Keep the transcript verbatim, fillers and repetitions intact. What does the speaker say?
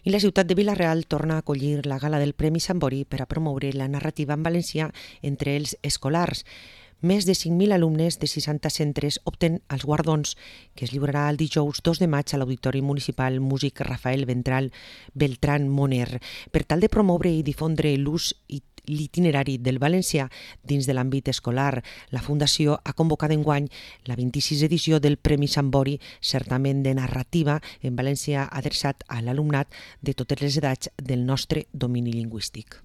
I la ciutat de Vila-real torna a acollir la gala del Premi Sambori per a promoure la narrativa en valencià entre els escolars. Més de cinc mil alumnes de seixanta centres opten als guardons, que es lliurarà el dijous dos de maig a l'Auditori Municipal Músic Rafael Ventral Beltrán Moner. Per tal de promoure i difondre l'ús i l'itinerari del valencià dins de l'àmbit escolar, la Fundació ha convocat enguany la vint-i-sisena edició del Premi Sambori, certament de narrativa en valencià adreçat a l'alumnat de totes les edats del nostre domini lingüístic.